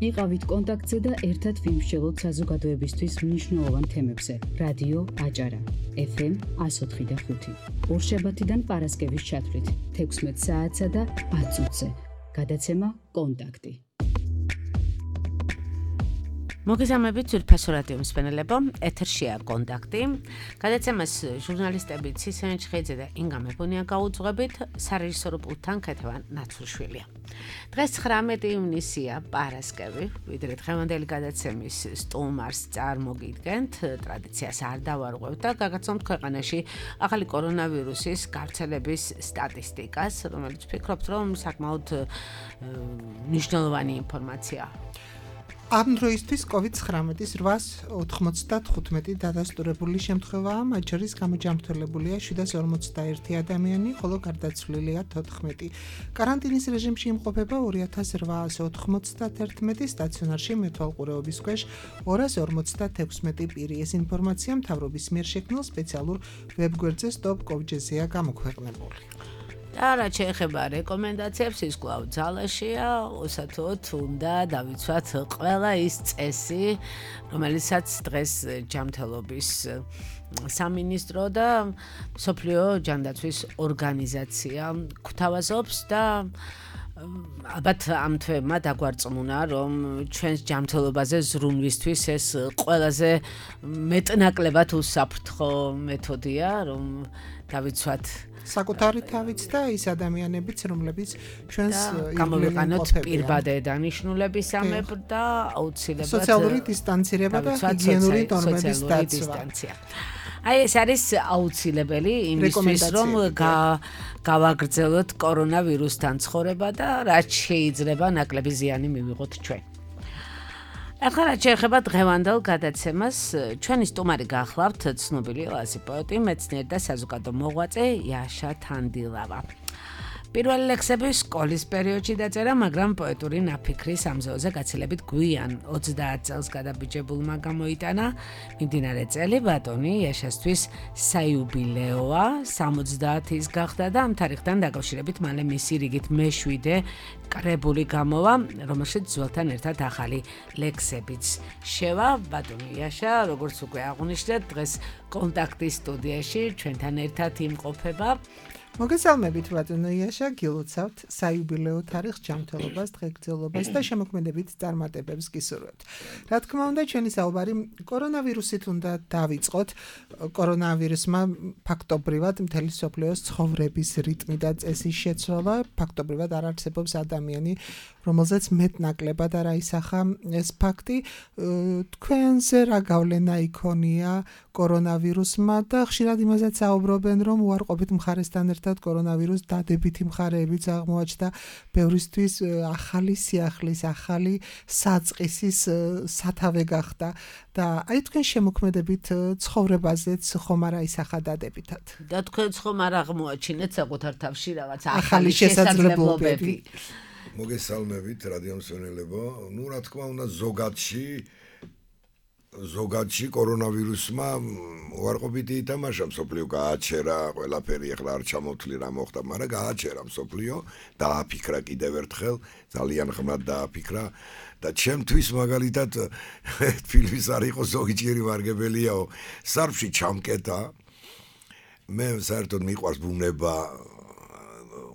იყავით კონტაქტზე და ერთად ვიმსჯელოთ საზოგადოებისთვის მნიშვნელოვან თემებზე. რადიო აჭარა, FM 104.5. ორშაბათიდან პარასკევის ჩათვლით 16 საათსა და 10 წუთზე. გადაცემა კონტაქტი. მოგესალმებით ძვირფასო რადიო მსმენელებო, ეთერშია კონტაქტი. გადაცემას ჟურნალისტები ცისენ ჩხეიძე და ინგა მეფონია გაუძღვებით, სარეჟისორო პულტთან ქეთევან ნაცურშვილია. დღეს 19 ივნისია, პარასკევი, ვიდრე დღევანდელი გადაცემის სტუმარს წარმოგიდგენთ, ტრადიციას არ დავარღვევთ და გაგაცნობთ ქვეყანაში ახალი კორონავირუსის გავრცელების სტატისტიკას, რომელიც ვფიქრობთ, რომ საკმაოდ მნიშვნელოვანი ინფორმაციაა. ამ დროისთვის COVID-19-ის 895 დადასტურებული შემთხვევაა, მათ შორის გამოჯანმრთელებულია 751 ადამიანი, ხოლო გარდაცვლილია 14. კარანტინის რეჟიმში იმყოფება 2891, სტაციონარში მეთვალყურეობის ქვეშ 256 პირი. ეს ინფორმაცია მთავრობის მიერ შექმნილ სპეციალურ ვებგვერდზე stop.covid-ზე გამოქვეყნებული. და რაც შეეხება რეკომენდაციებს, ის კვლავ ძალაშია, ოსათოდ უნდა დავიცვათ ყველა ის წესი, რომელიცაც დღეს ჯანმრთელობის სამინისტრო და მსოფლიო ჯანდაცვის ორგანიზაცია გვთავაზობს და ალბათ ამ თვეებმა დაგვარწმუნა, რომ ჩვენს ჯანმრთელობაზე ზრუნვისთვის ეს ყველაზე მეტნაკლებად უსაფრთხო მეთოდია, რომ დავიცვათ საკუთარი თავიც და ის ადამიანებიც, რომლებიც ჩვენს გამოვიყანოთ პირბადე დანიშნულებისამებრ და აუცილებლად სოციალური დისტანცირება და ჰიგიენური ნორმების დაცვა. აი ეს არის აუცილებელი იმისთვის, რომ გავაგრძელოთ კორონავირუსთან ცხოვრება და რაც შეიძლება ნაკლები ზიანი მივიღოთ ჩვენ. ახლა რაც შეეხება დღევანდელ გადაცემას, ჩვენი სტუმარი გახლავთ ცნობილი ლაზი პოეტი, მეცნიერი და საზოგადო მოღვაწე იაშა თანდილავა. პირველი ლექსები სკოლის პერიოდში დაწერა, მაგრამ პოეტური ნაფიქრის ამზეოზე გაცილებით გვიან 30 წელს გადაბიჯებულმა გამოიტანა. მიმდინარე წელი ბატონი იაშასთვის საიუბილეოა, 70-ის გახდა და ამ თარიღთან დაკავშირებით მალე მისი რიგით მე-7 კრებული გამოვა, რომელშიც ძველთან ერთად ახალი ლექსებიც შევა. ბატონი იაშა, როგორც უკვე აღვნიშნეთ, დღეს კონტაქტის სტუდიაში ჩვენთან ერთად იმყოფება. მოგესალმებით ბატონო იაშა, გილოცავთ საიუბილეო თარიღს, ჯანმრთელობას, დღეგრძელობას და შემოქმედებითწარმატებებს გისურვებთ. რა თქმა უნდა, ჩვენი საუბარი კორონავირუსით უნდა დავიწყოთ. კორონავირუსმა ფაქტობრივად მთელი მსოფლიოს ცხოვრების რიტმი და წესის შეცვალა, ფაქტობრივად არ არსებობს ადამიანი, რომელზეც მეტნაკლებად არ აისახა ეს ფაქტი. თქვენზე რა გავლენა იქონია კორონავირუსმა და ხშირად იმასაც საუბრობენ, რომ უარყოფით მხარესთან ერთად კორონავირუს დადებითი მხარეებიც აღმოაჩნდა, ბევრისთვის ახალი სიახლის, ახალი საწყისის სათავე გახდა და აი თქვენ შემოქმედებით ცხოვრებაზეც ხომ არ აისახა დადებითად. და თქვენც ხომ არ აღმოაჩინეთ საკუთარ თავში რაღაც ახალი შესაძლებლობები. მოგესალმებით რადიო მსმენელებო. ნუ რა თქმა უნდა ზოგადში კორონავირუსმა უარყოფითი ითამაშა, მსოფლიო გააჩერა, ყველაფერი ახლა არ ჩამოთვლი რა მოხდა, მაგრამ გააჩერა მსოფლიო, დააფიქრა კიდევ ერთხელ, ძალიან ხმად დააფიქრა და ჩემთვის მაგალითად ფილმის არ იყო ზოგიჯერი ვარგებელიაო, სარფში ჩამკეტა. მე საერთოდ მიყვარს ბუნება,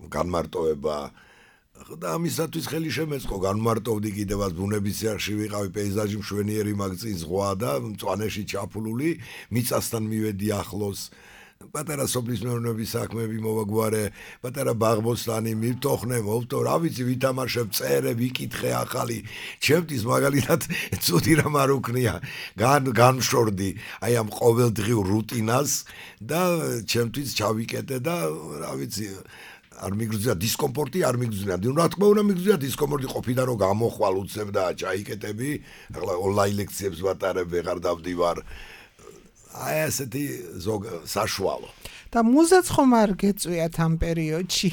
განმარტოება და ამისათვის ხელი შემეწყო, განმარტოვდი კიდევაც ბუნების სიახში ვიყავი, პეიზაჟი მშვენიერი მაგწინ ზღვა და მწვანეში ჩაფულული, მიწასთან მივედი ახლოს, პატარა სოფლის მეურნეობის საქმეები მოვაგვარე, პატარა ბაღბოსტანი მივთოხნე, მოვთო, რა ვიცი, ვითამაშებ, წერე, ვიკითხე ახალი, ჩემთვის მაგალითად ცუდი რამ არ უქნია, განვშორდი აი ამ ყოველდღიურ რუტინას და ჩემთვის ჩავიკეტე და რა ვიცი, არ მიგრძია დისკომფორტი, არ მიგრძია. რა თქმა უნდა მიგრძია დისკომფორტი, ყოფიდან რომ გამოხვალ უცებ და ჩაიკეტები, ახლა ონლაინ ლექციებს ვატარებ, ვეღარ დავდივარ. აი ასეთი საშუალო. და მუზაც ხომ არ გეწვიათ ამ პერიოდში?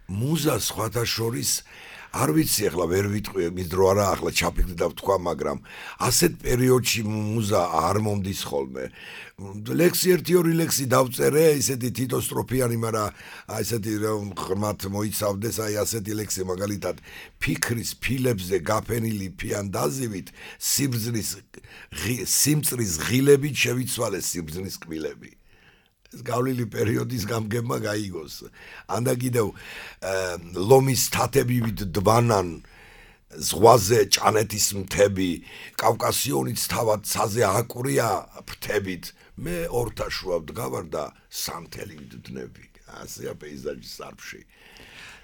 მუზა სხვათა შორის არ ვიცი ახლა ვერ ვიტყვი მის დრო არა ახლა ჩაფიქრდი და ვთქვა მაგრამ ასეთ პერიოდში მუზა არ მომდის ხოლმე ლექსი 1-2 ლექსი დავწერე ისეთი თითოსტროფიანი მაგრამ აი ესეთი ღრმად მოიცავდეს აი ასეთი ლექსი მაგალითად ფიქრის ფილებზე გაფენილი ფიანდაზივით სიმწრის ღილებით შევიცვალე სიმწრის კბილები ეს გავლილი პერიოდის გამგებმა გაიგოს ანდა კიდევ ლომის თათებივით დბანან ზღვაზე ჭანეთის მთები კავკასიონიც თავად ცაზე აკვრია ფრთებით მე ორთაშუა ვდგავარ და სამთელივით ვდნები ასეა პეიზაჟის სარფში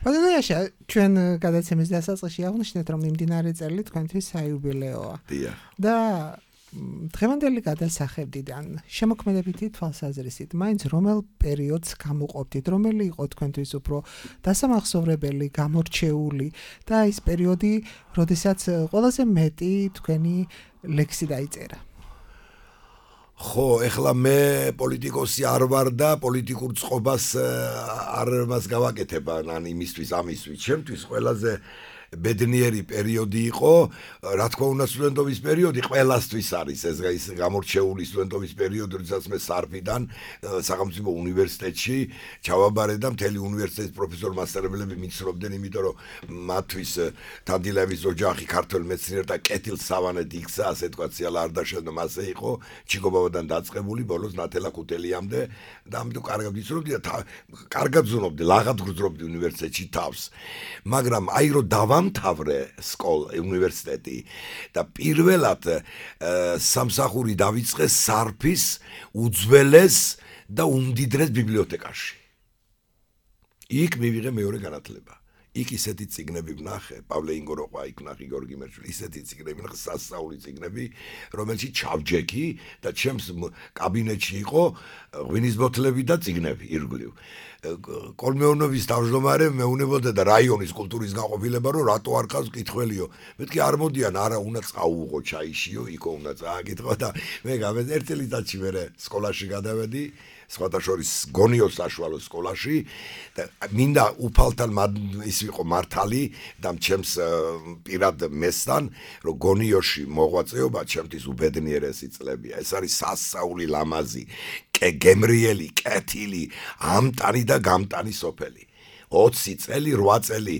ბატონოიაშა ჩვენ გადაცემის დასაწყისში აღნიშნეთ რომ მიმდინარე წელი თქვენთვის საიუბილეოა და დღევანდელი გადასახებიდან შემოქმედებითი თვალსაზრისით მაინც რომელ პერიოდს გამოყოფდით რომელი იყო თქვენთვის უფრო დასამახსოვრებელი გამორჩეული და ის პერიოდი როდესაც ყველაზე მეტი თქვენი ლექსი დაიწერა ხო ეხლა მე პოლიტიკოსი არ ვარ და პოლიტიკურ წყობას არ მას გავაკეთებ ან იმისთვის ამისთვის ჩემთვის ყველაზე ბედნიერი პერიოდი იყო, რა თქმა უნდა სტუდენტობის პერიოდი ყველასთვის არის ეს გამორჩეული სტუდენტობის პერიოდი, როდესაც მე სარფიდან სახელმწიფო უნივერსიტეტში ჩავაბარე და მთელი უნივერსიტეტის პროფესორ-მასწავლებლები მიცნობდნენ, იმიტომ რომ მათთვის თანდილების ოჯახი ქართველ მეცნიერთა კეთილსავანეთ იქცა, ასე თქვა, ციალა არდაშელდა მასე იყო, ჩიკობავადან დაწყებული, ბოლოს ნათელა ქუთელიამდე და ამიტომ კარგად ვიცნობდი და კარგად ზნობდი, ლაღად გრძნობდი უნივერსიტეტში თავს. მაგრამ აი რომ დავამთავრე უნივერსიტეტი და პირველად სამსახური დავიწყე სარფის უძველეს და უმდიდრეს ბიბლიოთეკაში. იქ მივიღე მეორე განათლება. იქ ისეთი წიგნები ვნახე, პავლე ინგოროყვა იქ ვნახე, გიორგი მერჩული, ისეთი წიგნები ვნახე, სასწაული წიგნები, რომელშიც ჩავჯექი და ჩემს კაბინეტში იყო ღვინის ბოთლები და წიგნები ირგვლივ. კოლმეონოვის თავმჯდომარე მეუნებოდა და რაიონის კულტურის განყოფილება, რომ რატო არ ყავს კითხველიო. მეთქი არ მოდიან, არა უნდა წაუღო ჩაიშიო, იქო უნდა წააკითხო და მე გამეძ ერთი წელიწადში მე სკოლაში გადავედი. სხვათა შორის გონიოს საშუალო სკოლაში და მინდა უფალთან ის იყო მართალი და ჩემს პირად მესთან რომ გონიოში მოღვაწეობა ჩემთვის უბედნიერესი წლებია ეს არის სასწაული ლამაზი გემრიელი კეთილი ამტანი და გამტანი სოფელი 20 წელი 8 წელი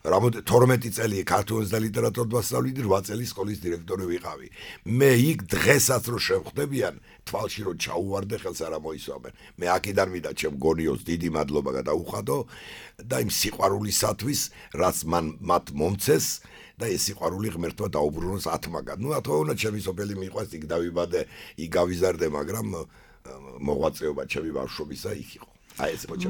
12 წელი ქართულის და ლიტერატურას ვასწავლდი 8 წელი სკოლის დირექტორი ვიყავი მე იქ დღესაც რო შევხვდებიან თვალში რო ჩაუვარდე ხელს არ მოისვამენ მე აქედან მიდა ჩემ გონიოს დიდი მადლობა გადაუხადო და იმ სიყვარულისათვის რაც მათ მომცეს და ეს სიყვარული ღმერთმა დაუბრუნოს ათმაგად ნუ რა თქმა უნდა ჩემი სოფელი მიყვარს იქ დავიბადე იქ გავიზარდე მაგრამ მოღვაწეობა ჩემი ბავშვობისა იქ იყო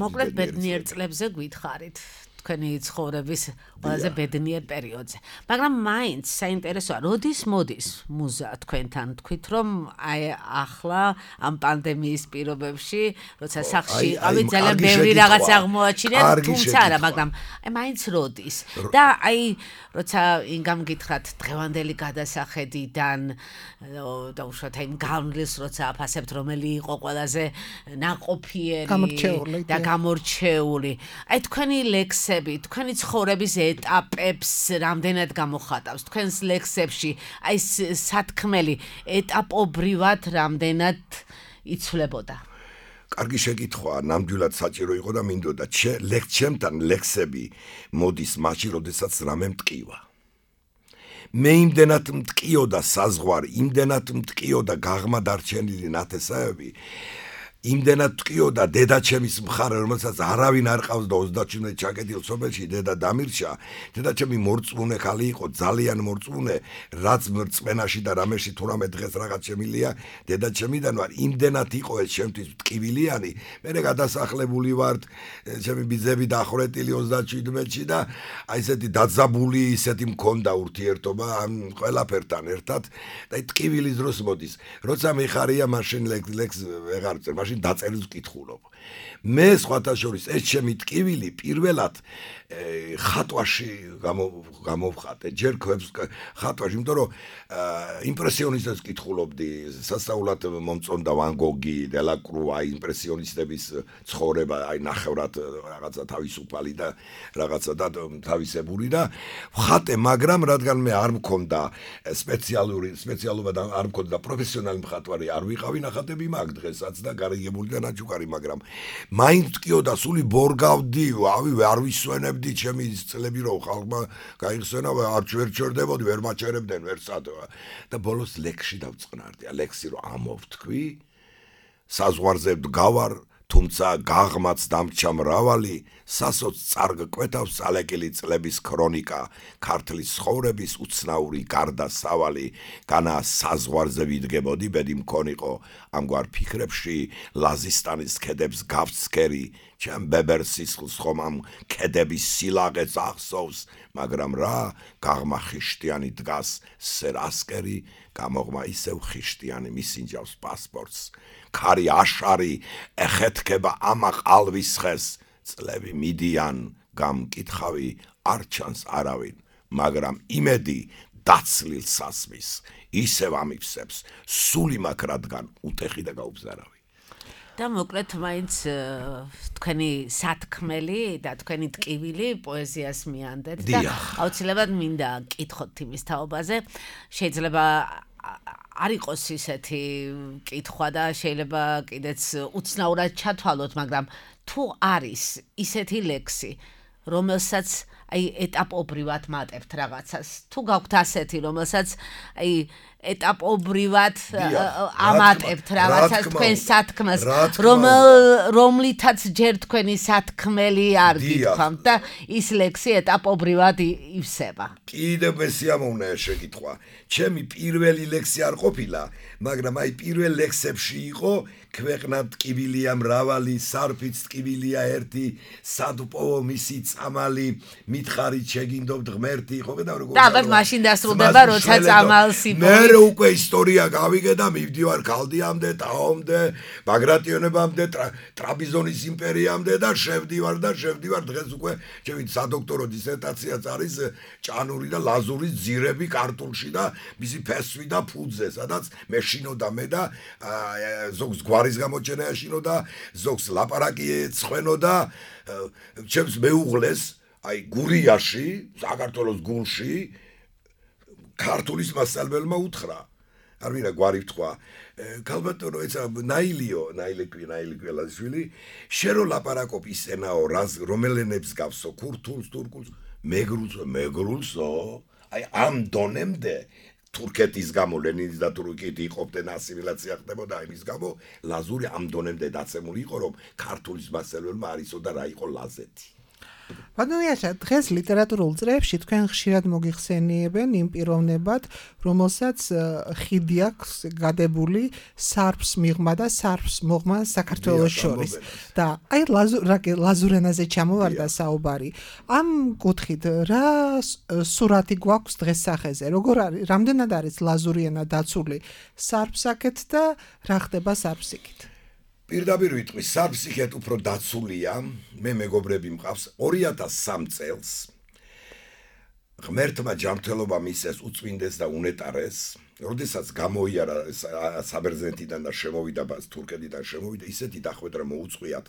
მოკლედ ბედნიერ წლებზე გითხარით თქვენი ცხოვრების ყველაზე ბედნიერ პერიოდზე. მაგრამ მაინც საინტერესოა, როდის მოდის მუზა თქვენთან? თქვით რომ აი ახლა ამ პანდემიის პირობებში, როცა სახლში იყავით, ძალიან ბევრი რაღაც აღმოაჩინეთ, თუმცა არა, მაგრამ აი მაინც როდის? და აი როცა ინგამ გითხრათ დღევანდელი გადასახედიდან და უშუალოდ აი განვლილს როცა აფასებთ, რომელი იყო ყველაზე ნაყოფიერი და გამორჩეული. აი თქვენი ლექსები თქვენი ცხოვრების ეტაპებს რამდენად გამოხატავს თქვენს ლექსებში აი სათქმელი ეტაპობრივად რამდენად იცვლებოდა კარგი შეკითხვაა ნამდვილად საჭირო იყო და მინდოდა ჩემთან ლექსები მოდის მაშინ როდესაც რამე მტკივა მე იმდენად მტკიოდა საზღვარი იმდენად მტკიოდა გაღმადარჩენილი ნათესავები იმდენად ტკიოდა დედაჩემის მხარე, რომელსაც არავინ არ ყავს და 37 ჩაკეტილ სოფელში დედა დამირჩა. დედაჩემი მორწმუნე ხალი იყო, ძალიან მორწმუნე, რაც მრწმენაში და რამეში თუ რამე დღეს რაღაც შემილია, დედაჩემიდან ვარ. იმდენად იყო ეს ჩემთვის ტკივილიანი. მე გადასახლებული ვარ, ჩემი ბიძები დახვრეტილი 37-ში და აი ესეთი დაძაბული ისეთი მქონდა ურთიერთობა ამ ყველაფერთან ერთად და ტკივილის დროს მოდის. როცა მიხარია მაშინ ლექს ვეღარ წერ, მაშინ დაწერილს ვკითხულობ. მე სხვათა შორის ეს ჩემი ტკივილი პირველად ხატვაში გამოვხატე, ჯერ ქვებს ხატვაში, იმიტომ რომ იმპრესიონისტებს კითხულობდი, სასწაულად მომწონდა ვან გოგი, დელაკრუა, იმპრესიონისტების ცხოვრება, აი ნახევრად რაღაცა თავისუფალი და რაღაცა და თავისებური და ვხატე, მაგრამ რადგან მე არ მქონდა სპეციალობა და არ მქონდა პროფესიონალი მხატვარი, არ ვიყავი ნახატები მაგ დღესაც და გარიგებული და ნაჩუქარი, მაგრამ მაინც ტკიოდა სული ბორგავდი, არ ვისვენებდი ჩემი წლები რომ ხალხმა გაიხსენა, არ ჩერდებოდი, ვერ მაჩერებდნენ, ვერ სადვა და ბოლოს ლექსში დავწყნარდი, ლექსი რომ ამოვთქვი, საზღვარზე გავარ, თუმცა გაღმაც დამრჩა მრავალი, სასოც წარგკვეთავს წალეკილი წლების ქრონიკა, ქართლის ცხოვრების უცნაური გარდასავალი, განა საზღვარზე ვიდგებოდი, ბედი მქონიყო, ამგვარ ფიქრებში ლაზისტანის ქედებს გავცქერი, ჩემ ბებერ სისხლს ხომ ამ ქედების სილაღეც ახსოვს, მაგრამ რა, გაღმა ხიშტიანი დგას, სერასკერი, გამოღმა ისევ ხიშტიანი მისინჯავს პასპორტს, ქარი აშარი ეხეთქება ამა ყალვის ხეს, წლები მიდიან, გამკითხავი არ ჩანს არავინ, მაგრამ იმედი დაცლილ სასმის, ისევ ამიფსებს, სული მაქვს რადგან უტეხი და გაუბზარავი. და მოკლედ მაინც თქვენი სათქმელი და თქვენი ტკივილი პოეზიას მიანდეთ და აუცილებლად მინდა კითხოთ იმის თაობაზე, შეიძლება არ იყოს ისეთი კითხვა და შეიძლება კიდეც უცნაურად ჩათვალოთ, მაგრამ თუ არის ისეთი ლექსი, რომელსაც აი ეტაპობრივად მატებთ რაღაცას, თუ გაქვთ ასეთი, რომელსაც აი ეტაპობრივად ამატებთ რაღაცას თქვენ სათქმას, რომლითაც ჯერ თქვენი სათქმელი არ გითქვამთ და ის ლექსი ეტაპობრივად ივსება. კიდევ მესიამოვნეა შეკითხვა. ჩემი პირველი ლექსი არ ყოფილა, მაგრამ აი პირველ ლექსებში იყო ქვეყნად ტკივილია მრავალი, სარფიც ტკივილია ერთი, სადპოვო მისი წამალი, მითხარით შეგინდობთ ღმერთი, ხო გეტყვი როგორ? და ალბათ მაშინ დასრულდება, როცა წამალს იპოვეთ. მე უკვე ისტორია გავიგე და მივდივარ ქალდიამდე, ტაომდე, ბაგრატიონებამდე, ტრაპიზონის იმპერიამდე და შევდივარ, დღეს უკვე ჩემი სადოქტორო დისერტაციაც არის ჭანური და ლაზურის ძირები ქართულში და მისი ფესვი და ფუძე, სადაც მეშინოდა მე და ზოგს გვარის გამოჩენა ეშინოდა, ზოგს ლაპარაკი ეცხვენოდა, ჩემს მეუღლეს, აი გურიაში, საქართველოს გულში ქართულის მასწავლებელმა უთხრა. არ მინდა გვარი ვთქვა. ქალბატონო, ეცა ნაილი კველაშვილი, შენ რო ლაპარაკობ ისენაო, რომელენებს გავსო, ქურთულს, თურქულს, მეგრულსო, აი ამ დონემდე თურქეთის გამო, ლენინის და თურქეთი იყოფდნენ, ასიმილაცია ხდებოდა, იმის გამო ლაზური ამ დონემდე დაცემული იყო, რომ ქართულის მასწავლებელმა არ იცოდა რა იყო ლაზეთი. ბატონიაშა, დღეს ლიტერატურულ წრეებში თქვენ ხშირად მოგიხსენიებენ იმ პიროვნებად, რომელსაც ხიდი აქვს გადებული სარფს მიღმა და სარფს მოღმა საქართველოს შორის. და აი ლაზურ ენაზე ჩამოვარდა საუბარი. ამ კუთხით რა სურათი გვაქვს დღეს სახეზე? როგორ არის, რამდენად არის ლაზური ენა დაცული სარფსაკეთ და რა ხდება სარფსიკით? პირდაპირ ვიტყვი, სარფსიკეთ უფრო დაცულია, მე მეგობრები მყავს 2003 წელს. ღმერთმა ჯანმრთელობა მისცეს უწმინდეს და უნეტარეს, როდესაც გამოიარა საბერძნეთიდან და შემოვიდა თურქეთიდან შემოვიდა, ისეთი დახვედრა მოუწყვიათ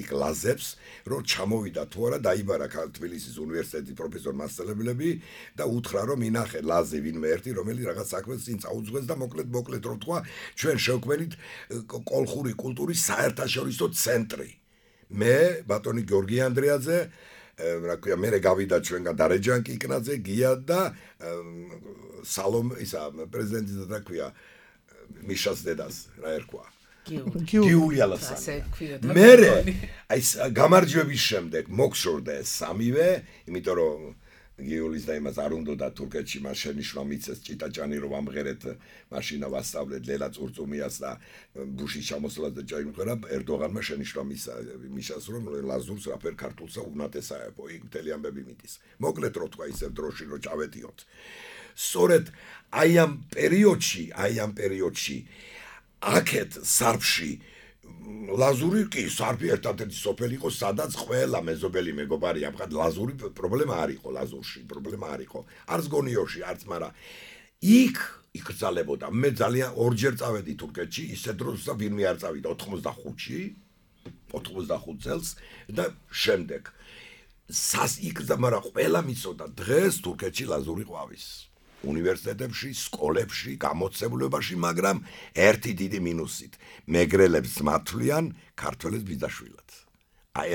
იქ ლაზებს, რომ ჩამოვიდა თუ არა, დაიბარა თბილისის უნივერსიტეტის პროფესორ მასწავლებლები და უთხრა, რომ ინახე ლაზი ვინმე ერთი, რომელიც რაღაც საქმეს წინ წაუძღვეს და მოკლედ რომ თქვა, ჩვენ შევქმნით კოლხური კულტურის საერთაშორისო ცენტრი. მე, ბატონი გიორგი ანდრეაძე, რა ქვია, მე გავიდა ჩვენგან დარეჯან კიკნაძე, გია და სალომ ისა პრეზიდენტი და თქვია მიშას დედას რა ერქვა გიული ალასანი. მე აი გამარჯვების შემდეგ მოგშორდა ეს სამივე, იმიტომ რომ გიულის და იმას არ უნდა და თურქეთში მას შენიშვნა მიცეს ჭიტაჭანი რომ ამღერეთ მაშინა ვასწავლეთ ლელა წურწუმიას და ბუშის ჩამოსვლას და ჩაიმღერა ერდოღანმა შენიშვნა მისას რომ ლაზურს რაფერ ქართულსა უნათესაებო იქ მთელი ამბები მიდის. მოკლედ რო თქვა ისევ დროში რომ ჩავედიოთ. სწორედ აი ამ პერიოდში აქეთ სარფში ლაზური კი სარფი ერთადერთი სოფელი იყო, სადაც ყველა მეზობელი მეგობარი ამხად ლაზური პრობლემა არ იყო, ლაზურში პრობლემა არ იყო. არც გონიოში, არც, მაგრამ იქ იკრძალებოდა. მე ძალიან ორჯერ წავედი თურქეთში, ისე დროს და ვინმე არ წავიდა 85 წელს და შემდეგ. მაგრამ ყველა მიცოდა დღეს თურქეთში ლაზური ყვავის. უნივერსიტეტებში, სკოლებში, გამოცემლებაში, მაგრამ ერთი დიდი მინუსით. მეგრელებს მათვლიან, ქართველებს ბიძაშვილად.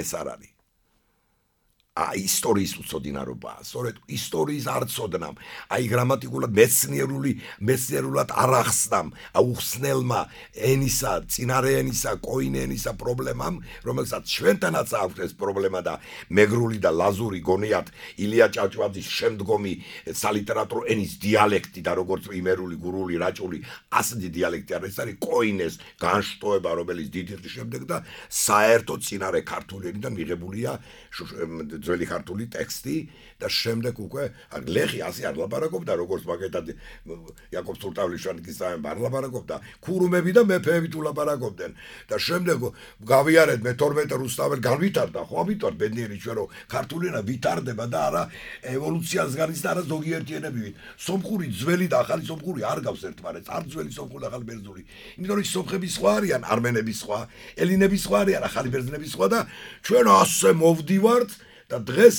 ეს არ არის. ისტორიის უცოდინარობაა. სწორედ ისტორიის არ ცოდნამ. გრამატიკულად მეცნიერულად არ ახსნამ უხსნელმა ენისა, წინარე ენისა, კოინე ენისა პრობლემამ, რომელსაც ჩვენთანაც აქვს ეს პრობლემა და მეგრული და ლაზური გონიათ ილია ჭავჭავაძის შემდგომი სალიტერატურო ენის დიალექტი და როგორც იმერული, გურული, რაჭული, ასეთი დიალექტი არის, ეს არის კოინეს განშტოება, რომელიც დიდი ხნის შემდეგ და საერთოდ წინარე ქართული ენიდან მიღებულია ძველი ქართული ტექსტი და შემდეგ უკვე ლეხი ასე არ ლაპარაკობდა როგორც მაგეთად იაკობ თურტავლიშვანიკის არ ლაპარაკობდა ქურუმები და მეფეები თუ ლაპარაკობდნენ და შემდეგ გავიარეთ მე-12 რუსთაველი განვითარდა ხო ამიტომ ბედნიერი ჩვენ რომ ქართული ენა ვითარდება და არა ევოლუციას განის და არა ზოგიერთი ენები სომხური ძველი და ახალი სომხური არ გავს ერთმანეთს არ ძველი სომხური და ახალი ბერძნული იმიტომ რომ სომხები სხვა არიან არმენები სხვა ელინები სხვა არიან ახალი ბერძნები სხვა და ჩვენ ასე მოვდივართ და დღეს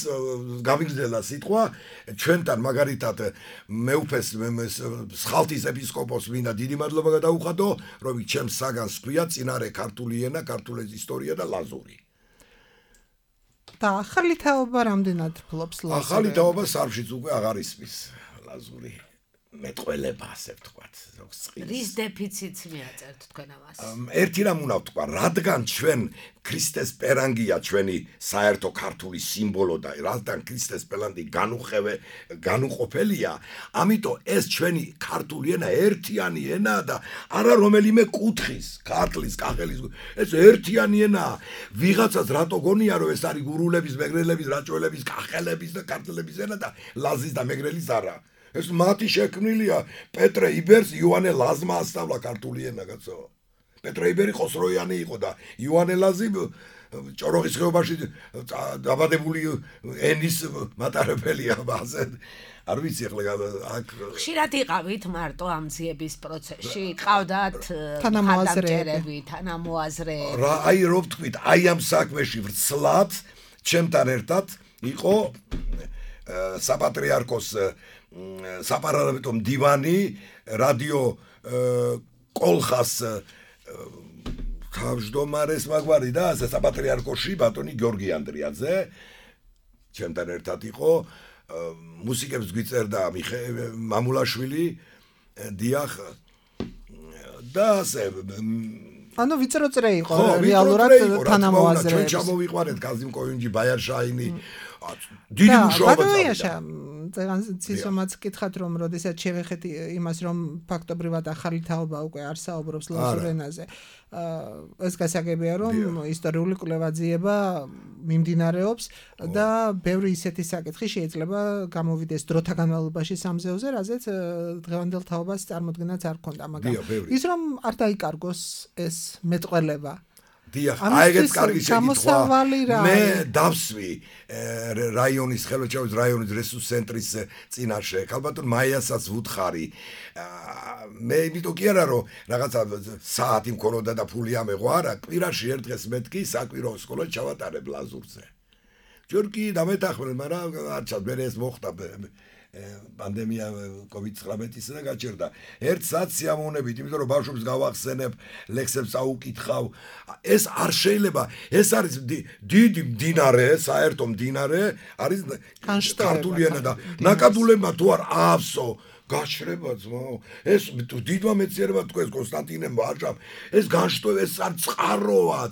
გამიგზელა სიტყვა ჩვენთან მაგალითად მეუფეს სხალთის ეპისკოპოს მინდა დიდი მადლობა გადაუხადო რომ ჩემს საგანს ქვია წინარე ქართული ენა ქართული ისტორია და ლაზური და ახალი თაობა რამდენად ფლობს ლაზური ახალი თაობა სარფშიც უკვე აღარ ისმის ლაზური მეტყველება ასე ვთქვათ ზოგს წყლის რის დეფიციტს მიაწერთ თქვენ ამას ერთი რამ უნდა ვთქვა რადგან ჩვენ ქრისტეს პერანგია ჩვენი საერთო ქართული სიმბოლო და რადგან ქრისტეს პერანგი განუყოფელია ამიტომ ეს ჩვენი ქართული ენა ერთიანი ენაა და არა რომელიმე კუთხის ქართლის კახელის ეს ერთიანი ენაა ვიღაცას რატო გონია რომ ეს არის გურულების მეგრელების რაჭველების კახელების და ქართლების ენა და ლაზის და მეგრელის არა ეს მათი შექმნილია პეტრე იბერს იოანე ლაზმა ასწავლა ქართული ენა კაცო პეტრე იბერი ხოსროიანი იყო და იოანე ლაზი ჭოროხის ხეობაში დაბადებული ენის მატარებელია ბაზე არ ვიცი ახლა აქ ხშირად იყავით მარტო ამ ძიების პროცესში ყავდათ თანამოაზრეები რა აი რო ვთქვით აი ამ საქმეში ვრცლად ჩემთან ერთად იყო საპატრიარქოს საპარლამენტო მდივანი რადიო კოლხას თავმჯდომარეს მაგვარი და საპატრიარქოში ბატონი გიორგი ანდრიაძე ჩემთან ერთად იყო მუსიკებს გვიწერდა მამულაშვილი დიახ და ასე ანუ ვიწროწრე იყო რეალურად თანამოაზრეებს ჩვენ ჩამოვიყვანეთ კაზიმ კოინჯი ბაიარშაინი დიდი მუშაობა ცისომაც კითხათ რომ როდესაც შევეხეთ იმას რომ ფაქტობრივად ახალი თაობა უკვე არ საუბრობს ლაზურ ენაზე ეს გასაგებია რომ ისტორიული კვლევაძიება მიმდინარეობს და ბევრი ისეთი საკითხი შეიძლება გამოვიდეს დროთა განმავლობაში სამზეოზე რაზეც დღევანდელ თაობას წარმოქმნაც არ ქონდა მაგრამ ის რომ არ დაიკარგოს ეს მეტყველება დიახ, აიგეთ კარგი შეკითხვა. მე დავსვი რაიონის ხელმძღვანელის რაიონის რესურს ცენტრის წინაშე. ალბათ მაიასაც ვუთხარი. მე იმიტომ კი არა რომ რაღაცა საათი მქონოდა და ფული ამეღო არა, კვირაში ერთ დღეს მეთქი საკვირო სკოლა ჩავატარებ ლაზურზე. ჯორგი დამეთახმენ, მაგრამ არჩად მე ეს მოხდა პანდემია COVID-19-ის და გაჩერდა. ერთ საათს სიამოვნებით, იმიტომ რომ ბავშვებს გავახსენებ, ლექსებს აუკითხავ. ეს არ შეიძლება, ეს არის დიდი მდინარე, საერთო მდინარე, არის ქართული ენა და ნაკადულებმა თუ არ აავსო გაჩრება ძმაო. ეს დიდმა მეცნიერებმა თქვენ კონსტანტინე ვაჟამ, ეს განშტოება ეს არ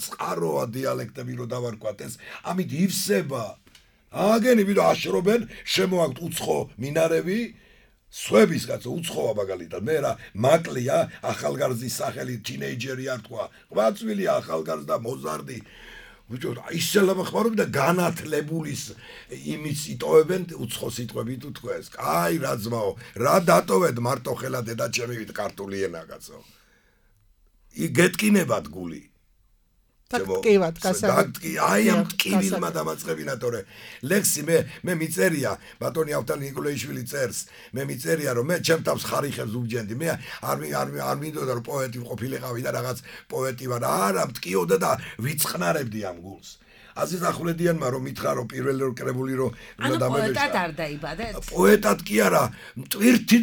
წყაროა დიალექტები რო დავარქვათ, ეს ამით ივსება. აგენები და აშრობენ შემოაქვთ უცხო მინარევი სვების კაცო უცხოა მაგალითად მე რა მაკლია ახალგაზრდის სახელი თინეიჯერი არ თქვა ყვაწვილი ახალგაზრდა მოზარდი ბიჭო ისე ლამახმარობი და განათლებულის იმის იტოვებენ უცხო სიტყვებით უთქვეს აი რა ძმაო რა დატოვეთ მარტო ხელა დედა ჩემივით ქართული ენა კაცო იგეთკინებათ გული ტკივად აი ამ ტკივილმა დამაწყებინა თორე ლექსი მე მიწერია ბატონი ავთალ ნიკოლაიშვილი წერს მე მიწერია რომ მე ჩემ თავს ხარიხებს უბჯენდი მე არ მინდოდა რომ პოეტი ყოფილიყავი და რაღაც პოეტი ვარ არა მტკიოდა და ვიწყნარებდი ამ გულს აზიზ ახვლედიანმა რომ მითხრა რომ პირველი რო კრებული რომ პოეტად არ დაიბადეთ პოეტად კი არა მტვირთი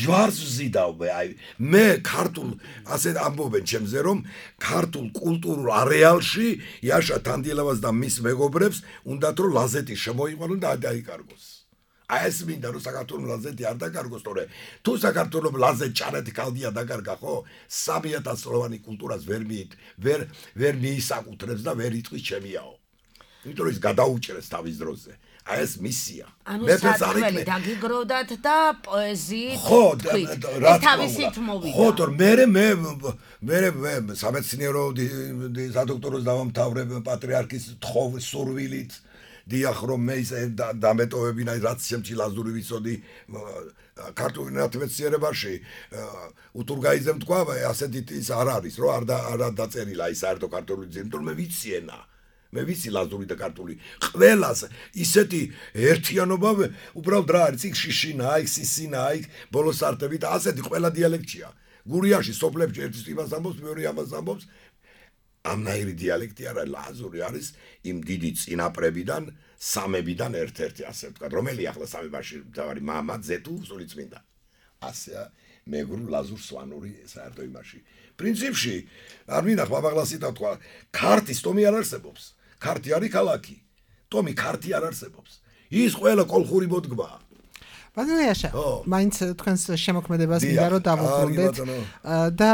ჯვარს ვზიდავ აი მე ქართულ ასე ამბობენ ჩემზე რომ ქართულ კულტურულ არეალში იაშა თანდიელავას და მის მეგობრებს უნდათ რომ ლაზეთი შემოიყვანონ და დაიკარგოს აი ეს მინდა რომ საქართველოს ლაზეთი არ დაკარგოს თორე თუ საქართველოს ლაზეთ ჭარეთი კალდია დაკარგა ხო 3000 წლოვანი კულტურას ვერ მიისაკუთრებს და ვერ იტყვის ჩემიაო იმიტომ რომ ის გადაუჭრეს თავის დროზე აი ეს მისია მეფეს არ იქნება დაგიგროვდათ და პოეზიით რა თავისით მოვიდა ხო თორ მე სამეცნიერო სადოქტოროს დავამთავრებ პატრიარქის თხოვ სურვილით დიახ რომ მე ის დამეტოვებინა რაც შემჩი ლაზური ვიცოდი ქართულ ნათმეცნიერებაში უთურგაიძემ თქვა ასეთი ის არ არის რომ არ დაწერილა ის საერთო ქართული ძირ იმიტომ მე ვიცი ენა მე ვიცი ლაზური და ქართული ყველას ისეთი ერთიანობა უბრალოდ რა არის იქ შიშინა იქ სისინა იქ ბოლოსარტები და ასეთი ყველა დიალექტია გურიაში სოფლებში ერთის იმას ამბობს მეორე ამას ამბობს ამნაირი დიალექტი არა ლაზური არის იმ დიდი წინაპრებიდან სამებიდან ერთ-ერთი ასე ვთქვათ რომელი ახლა სამებაში თავარი მამა ძეთუ სულიწმინდა ასეა მეგრულ ლაზურ სვანური საერთო იმაში პრინციპში არ მინახ მამაღლასი და თქვა ქართის ტომი არ არსებობს ქართი არის ქალაქი ტომი ქართი არ არსებობს ის ყველა კოლხური მოდგმაა ბატონო იაშა მაინც თქვენს შემოქმედებას მინდა რომ დავუბრუნდეთ და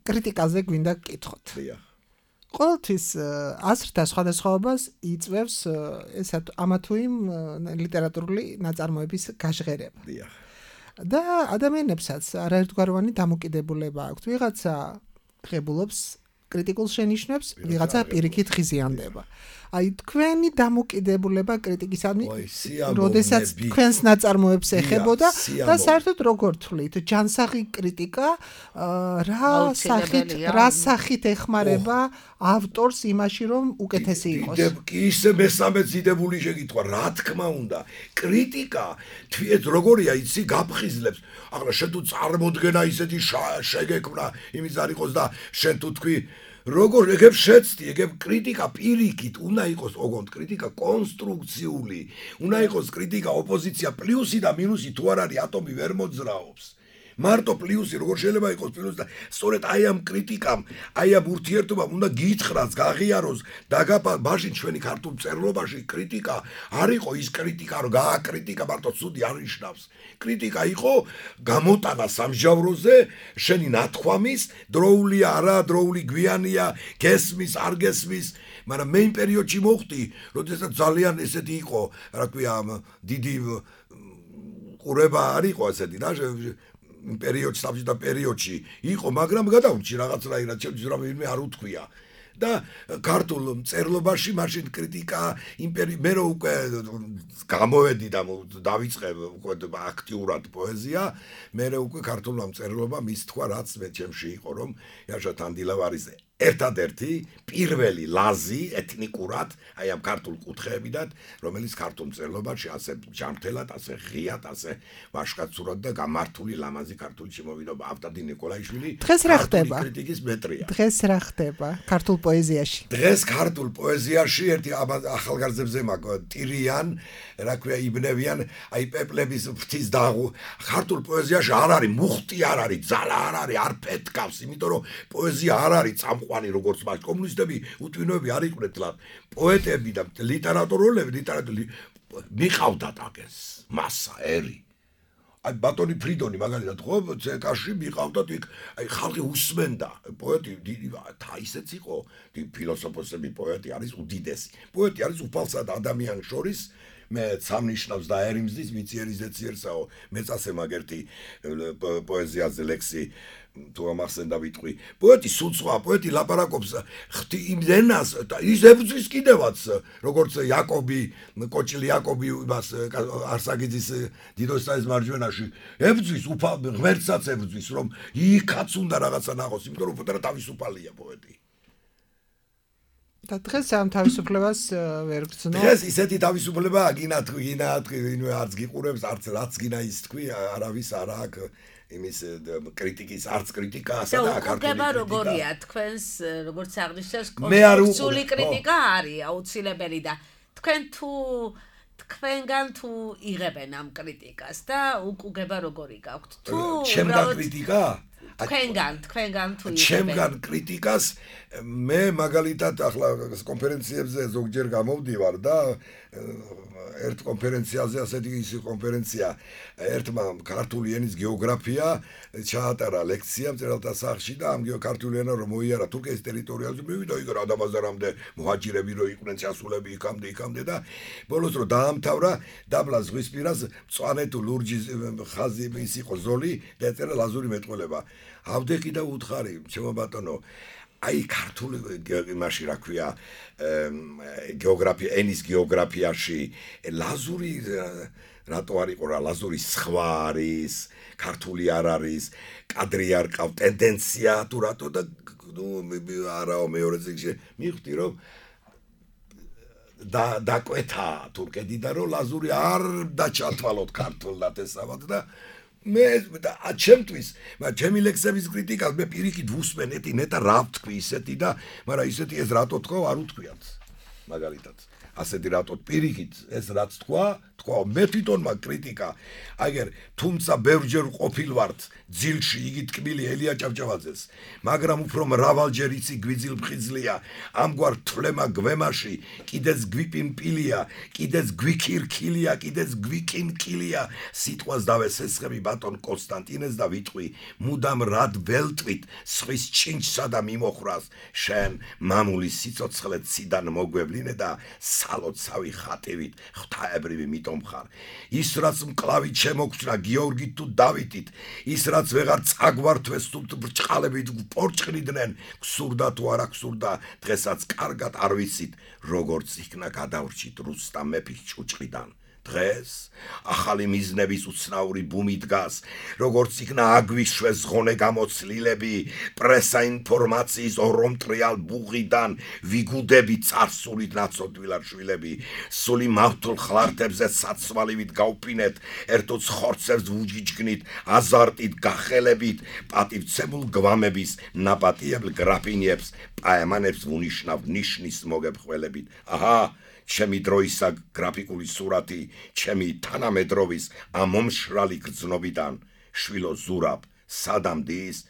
კრიტიკაზე გვინდა გკითხოთ ყოველთვის აზრთა სხვადასხვაობას იწვევს ესა ამა თუ იმ ლიტერატურული ნაწარმოების გაჟღერება და ადამიანებსაც არაერთგვაროვანი დამოკიდებულება აქვს ვიღაცა ღებულობს კრიტიკულ შენიშვნებს ვიღაცა პირიქით ხიზიანდება აი თქვენი დამოკიდებულება კრიტიკისადმი როდესაც თქვენს ნაწარმოებს ეხებოდა და საერთოდ როგორ თვლით ჯანსაღი კრიტიკა რა სახით ეხმარება ავტორს იმაში რომ უკეთესი იყოს კი ისე მესამე ძიდებული შეკითხვა რა თქმა უნდა კრიტიკა თვიეთ როგორია იცი გაფხიზლებს ახლა შენ თუ წარმოდგენა ისეთი შეგექმნა იმის არ იყოს და შენ თუ თქვი როგორ ეგებ შეცდი ეგებ კრიტიკა პირიქით უნდა იყოს ოღონდ კრიტიკა კონსტრუქციული უნდა იყოს კრიტიკა ოპოზიცია პლუსი და მინუსი თუ არ არის ატომი ვერ მოძრაობს მარტო პლუსი როგორ შეიძლება იყოს პლუსი და სწორედ აი ამ კრიტიკამ აი ამ ურთიერთობამ უნდა გითხრას გაღიაროს მაშინ ჩვენი ქართულ მწერლობაში კრიტიკა არ იყო ის კრიტიკა რომ გააკრიტიკა მარტო ცუდი არ ნიშნავს კრიტიკა იყო გამოტანა სამჟავროზე შენი ნათქვამის დროულია არა დროული გვიანია გესმის არ გესმის მაგრამ მე იმ პერიოდში მოხდი როდესაც ძალიან ესეთი იყო რა ქვია დიდი ყურება არ იყო ესეთი რა პერიოდში საბჭოთა პერიოდში იყო მაგრამ გადავრჩი რაღაცნაირად ჩემთვის რამე არ უთქვია და ქართულ მწერლობაში მაშინ კრიტიკა მე რო უკვე გამოვედი და დავიწყე უკვე აქტიურად პოეზია მე უკვე ქართულ მწერლობა მის თქვა რაც მე ჩემში იყო რომ იაშა თანდილავარის ერთადერთი პირველი ლაზი ეთნიკურად აი ამ ქართულ კუთხეებიდან რომელიც ქართულ მწერლობაში ასე ჯანმრთელად ასე ღიად ასე ვაშკაცურად და გამართული ლამაზი ქართული შემოვიდობა ავტადი ნიკოლაიშვილი დღეს რა ხდება კრიტიკის მეტრია დღეს რა ხდება ქართულ პოეზიაში დღეს ქართულ პოეზიაში ერთი ახალგაზრდებზე ტირიან რა ქვია იბნევიან აი პეპლების ფრთის დაღუ ქართულ პოეზიაში არ არის მუხტი არ არის ძალა არ არის არ პეთკავს იმიტომ რომ პოეზია არ არის წამყვანი როგორც მას კომუნისტები უთვინოები არ იყვნენ თლად პოეტები და ლიტერატორები მიყავდათ აგეს მასა ერი აი ბატონი ფრიდონი მაგალითად ხო ცეკაში მიყავდათ იქ აი ხალხი უსმენდა პოეტი ისეც იყო ფილოსოფოსები პოეტი არის უდიდესი პოეტი არის უფალსა და ადამიანის შორის მე სამნიშნავს და ერიმზის მიციერიზეციერსაო მეწასე მაგერთი პოეზიაზე ლექსი თუ ამახსენდა ვიტყვი პოეტი სულცვა პოეტი ლაპარაკობს იმენას და ის ებრძვის კიდევაც როგორც იაკობი კოჭილი იაკობი იმას არსაგიძის დიდოსტანის მარჯვენაში ებრძვის ღმერთსაც ებრძვის რომ იქაც უნდა რაღაცა ნახოს იმიტომ რომ პოტარა თავისუფალია პოეტი და დღეს ამ თავისუფლებას ვერ გრძნო. დღეს ისეთი თავისუფლება გინა არც გიყურებს, არც რაც გინა ის თქვი, არავის არა აქვს იმის კრიტიკის, არც კრიტიკასა და ქართული კრიტიკა. როგორია თქვენს, როგორც აღნიშნავს, კონსტრუქციული კრიტიკა არის აუცილებელი და თქვენგან თუ იღებენ ამ კრიტიკას და უკუგება როგორი გაქვთ? თუ ჩემგან კრიტიკა? თქვენგან თუ იღებენ. ჩემგან კრიტიკას მე მაგალითად ახლა კონფერენციებზე ზოგჯერ გამოვდივარ და ერთ კონფერენციაზე ასეთი ის კონფერენცია ერთმა ქართული ენის გეოგრაფია ჩაატარა ლექცია მწერალთა სახლში და ამ ქართული ენა რომ მოიარა თურქეთის ტერიტორიაზე მივიდა იქ რადაბაზარამდე მოჰაჯირები რო იყვნენ ჩასულები იქამდე და ბოლოს რო დაამთავრა დაბლა ზღვისპირას მწვანე თუ ლურჯი ხაზი ის იყო ზოლი და ეწერა ლაზური მეტყველება ავდექი და უთხარი ჩემო ბატონო აი ქართული იმაში რა ქვია გეოგრაფია ენის გეოგრაფიაში ლაზური რატო არ იყო რა ლაზური სხვა არის ქართული არ არის კადრი არ ყავ ტენდენცია თუ რატო და ნუ არაო მეორე წიგნში მივხვდი რომ დაკვეთა თურქეთი და რომ ლაზური არ დაჩათვალოთ ქართულად ესავად და მე ჩემთვის ჩემი ლექსების კრიტიკას მე პირიქით ვუსმენ ნეტა რა ვთქვი ისეთი და მაგრამ ისეთი ეს რატო თქვა არ უთქვიათ მაგალითად ასეთი რატო პირიქით ეს რაც თქვა მე თვითონ მაგ კრიტიკა აგერ თუმცა ბევრჯერ ყოფილვართ ძილში იგი ტკბილი ელია ჭავჭავაძეს მაგრამ უფრო მრავალჯერ იცი გვიძილ ფხიზლია ამგვარ თვლემა გვემაში კიდეც გვიპიმპილია კიდეც გვიქირქილია კიდეც გვიკინკილია სიტყვას დავესესხები ბატონ კონსტანტინეს და ვიტყვი მუდამ რად ველტვით სხვის ჩინჩსა და მიმოხრას შენ მამული სიცოცხლე ციდან მოგვევლინე და სალოცავი ხატივით ღვთაებრივი ხარ ის რაც მკლავით შემოგჩნა გიორგით თუ დავითით ის რაც ვეღარ წაგვართვეს თუ ბრჭყალებით პორჭყნიდნენ გსურდა თუ არა გსურდა დღესაც კარგად არ ვიცით როგორც იქნა გადავრჩით რუსტამ მეფის ჭუჭყიდან დღეს ახალი მიზნების უცნაური ბუმი დგას როგორც იქნა აგვიშვეს ღონე გამოცლილები პრესა ინფორმაციის ორომტრიალ ბუღიდან ვიგუდები წარსულით ნაცოდვილად შვილები სული მავთულ ხლარტებზე საცვალივით გავფინეთ ერთოც ხორცებს ვუჯიჯგნით აზარტით გახელებით პატივცემულ გვამების ნაპატიებელ გრაფინიებს პაემანებს ვუნიშნავ ნიშნის მოგებხველებით აჰა ჩემი დროისა გრაფიკული სურათი, ჩემი თანამედროვის ამომშრალი გრძნობიდან, შვილო ზურაბ, სადამდის,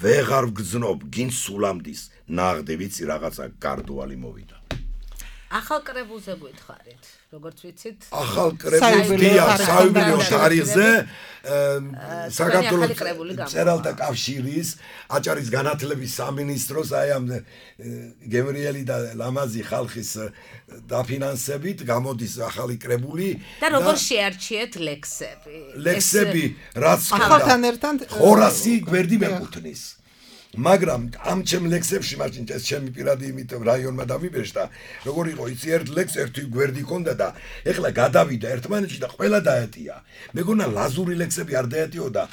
ვეღარ ვგრძნობ, გინ სულამდის, ნაღდი ვიცი რაღაცა გარდუალი მოვიდა. ახალ კრებულზე გითხარით, როგორც ვიცით. ახალ კრებულზეა საიუბილეო თარიღზე საქართველოს მწერალთა კავშირის აჭარის განათლების სამინისტროს აი ამ გემრიელი და ლამაზი ხალხის დაფინანსებით გამოდის ახალი კრებული და როგორ შეარჩიეთ ლექსები? ლექსები რაც ახალთან ერთად ხორასი გვერდი მეკუთვნის მაგრამ ამ ჩემ ლექსებში მაშინ ეს ჩემი პირადი იმით რაიონმა დამიბეჭდა როგორ იყო იცი ერთ ლექს ერთი გვერდი ქონდა და ეხლა გადავიდა ერთმანეთში და ყველა დაეტია მეგონა ლაზური ლექსები არ დაეტიო და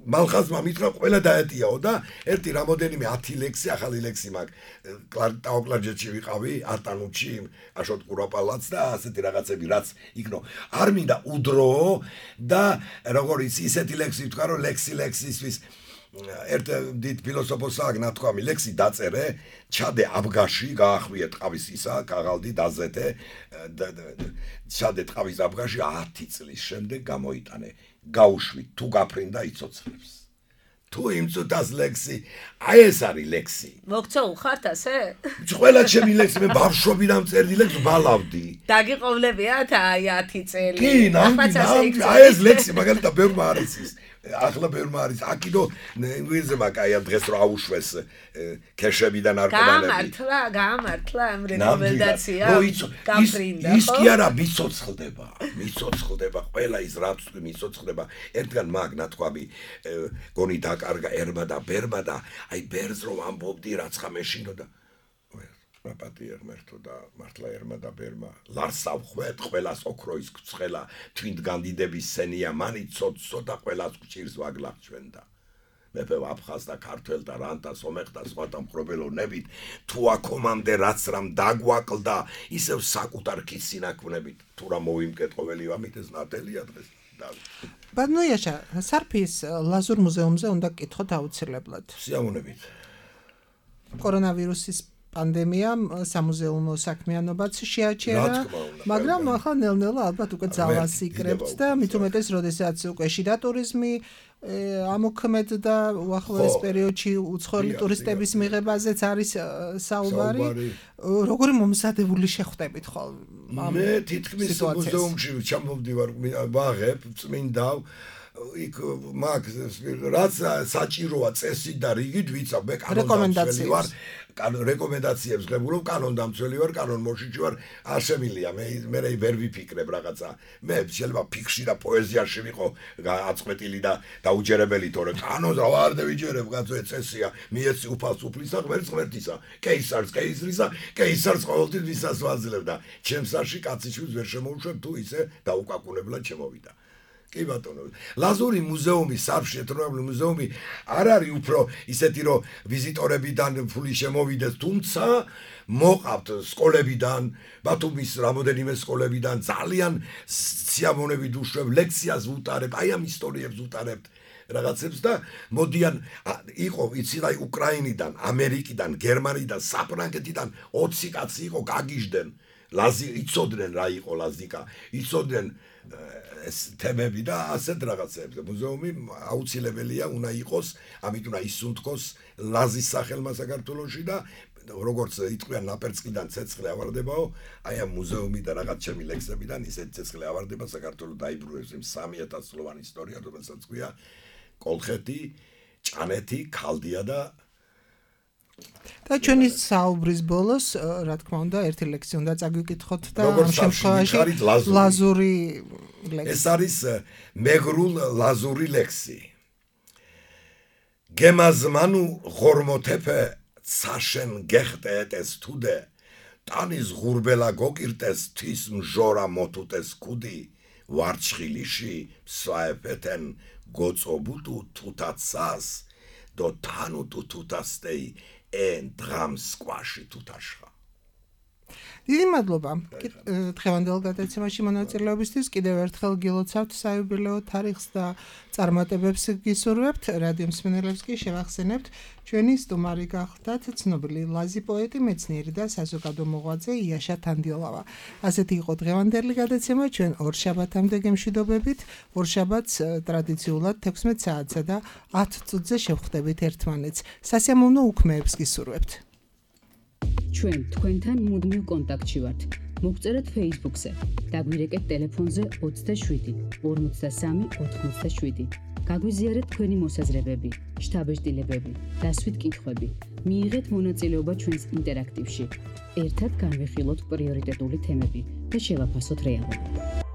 მალხაზმა მითხრა ყველა დაეტიაო და ერთი რამოდენიმე 10 ლექსი ახალი ლექსი მაქვს ტაოკლარჯეთში ვიყავი არტანუჩი აშოტ ყურაპალაც და ასეთი რაღაცები რაც იქნო არ მინდა უდროო და როგორ იცი ისეთი ლექსი ვთქვა რომ ლექსისთვის ერთ დიდ ფილოსოფოსს აქვს ნათქვამი ლექსი დაწერე ჩადე აბგაში გაახვიე ტყავის ისა გაღალდი დაზეთე ჩადე ტყავის აბგაში 10 წლის შემდეგ გამოიტანე გაუშვი თუ გაფრინდა იცოცხლებს თუ იმწუთას ლექსი აი ეს არის ლექსი მოგცო უხართ ასე ყველა ჩემი ლექსი მე ბავშვობიდან წერდი ლექსს ბალავდი დაგიყოვლებიათ აი 10 წელი კი ნამდვილად აი ეს ლექსი მაგალითად ბევრმა არის ის ახლა ბევრმა არის აკიდო ინგლისზე მაგაია დღეს რო აუშვეს ქეშებიდან არკომანები გამართლა ამ რეკომენდაცია გაფრინდა ის კი არა მიცოცხლდება ყველა ის რაც მიცოცხლდება ერთგან მაგ ნათქვამი გონი დაკარგა ერმა და ბერმა და აი ბერს რომ ამბობდი რაცხა მეშინოდა პატია ღმერთო და მართლა ერმა და ბერმა ლარსავ ხვეთ ყველას ოქროის გცხელა თვინთ განდიდების სენია მანი ცოტ ცოტა ყველას გჭირს ვაგლახ ჩვენდა მეფე აფხაზ და ქართველ და რან და სომეხ და სხვათა მხრობელოვნებით თუ აქომამდე რაც რამ დაგვაკლდა ისევ საკუთარ ქის სინაქმნებით თუ რა მოვიმკეტყობელი ვამიტეს ნათელია დღეს ბატონო იაშა სარფის ლაზურ მუზეუმზე უნდა გკითხოთ აუცილებლად სიამოვნებით კორონავირუსის პანდემიამ სამუზეუმო საქმიანობაც შეაჩერა, მაგრამ ახლა ნელ-ნელა ალბათ უკვე ძალას იკრებს და მით უმეტეს, როდესაც უკვე შიდა ტურიზმი ამოქმედდა უახლოეს პერიოდში უცხოელი ტურისტების მიღებაზეც არის საუბარი. როგორი მომზადებული შეხვდებით ხოლმე? მე თითქმის მუზეუმში ჩამოვდივარ, ვაღებ, წმინდავ იქ მაგ რაც საჭიროა წესი და რიგით ვიცავ მე კანონდამცველი ვარ რეკომენდაციებს ღებულობ კანონდამცველი ვარ კანონმოშიჭი ვარ ასემილია მე ვერ ვიფიქრებ რაღაცა მე შეიძლება ფიქში და პოეზიაში ვიყო აწყვეტილი და დაუჯერებელი თორე კანონს არ დავიჯერებ კაცო წესია მიეცი უფალს უფლისა ღმერთს ღმერთისა კეისარს კეისრისა კეისარს ყოველთვის ვისაც ვაძლევ და ჩემსაში კაციშვილს ვერ შემოუშვებ თუ ისე დაუკაკუნებლად შემოვიდა კი ბატონო ლაზური მუზეუმი სარფში ეთნოგრაფიული მუზეუმი არ არის უფრო ისეთი რომ ვიზიტორებიდან ფული შემოვიდეს თუმცა მოყავთ სკოლებიდან ბათუმის რამოდენიმე სკოლებიდან ძალიან სიამოვნებით უშვებ ლექციას ვუტარებ აი ამ ისტორიებს ვუტარებთ რაღაცებს და მოდიან იყო იცი რა უკრაინიდან ამერიკიდან გერმანიდან საფრანგეთიდან 20 კაცი იყო გაგიჟდნენ ლაზი იცოდნენ რა იყო ლაზიკა იცოდნენ ეს თემები და ასეთ რაღაცებს მუზეუმი აუცილებელია უნდა იყოს ამით უნდა ისუნთქოს ლაზის სახელმა საქართველოში და როგორც იტყვიან ნაპერწკიდან ცეცხლი ავარდებაო აი ამ მუზეუმი და რაღაც ჩემი ლექსებიდან ისეთ ცეცხლი ავარდება საქართველოს დაიბრუნებს იმ 3000 წლოვანი ისტორია რომელსაც ქვია კოლხეთი ჭანეთი ქალდია და ჩვენი საუბრის ბოლოს რა თქმა უნდა ერთი ლექსი უნდა წაგვიკითხოთ და ამ შემთხვევაში ლაზური ლექსი ეს არის მეგრულ ლაზური ლექსი გემაზმანუ ღორმოთეფე ცაშენ გეხტეეტეს თუდე ტანის ღურბელა გოკირტეს თვის მჟორა მოთუტეს კუდი ვარჩხილიში მსვაეფეთენ გოწობუტუ თუთაცას დო თანუტუ თუთასტეი ენ დრამს კვაში თუთაშხა დიდი მადლობა დღევანდელ გადაცემაში მონაწილეობისთვის კიდევ ერთხელ გილოცავთ საიუბილეო თარიღს და წარმატებებს გისურვებთ რადიო მსმენელებს კი შევახსენებთ ჩვენი სტუმარი გახლდათ ცნობილი ლაზი პოეტი მეცნიერი და საზოგადო მოღვაწე იაშა თანდიოლავა ასეთი იყო დღევანდელი გადაცემა ჩვენ ორშაბათამდე გემშვიდობებით ორშაბათს ტრადიციულად 16 საათსა და 10 წუთზე შევხვდებით ერთმანეთს სასიამოვნო უქმეებს გისურვებთ ჩვენ თქვენთან მუდმივ კონტაქტში ვართ. მოგწერეთ Facebook-ზე. დაგვირეკეთ ტელეფონზე 27 53 87. გაგვიზიარეთ თქვენი მოსაზრებები, შთაბეჭდილებები, დასვით კითხვები. მიიღეთ მონაწილეობა ჩვენს ინტერაქტივში. ერთად განვიხილოთ პრიორიტეტული თემები და შევაფასოთ რეალობა.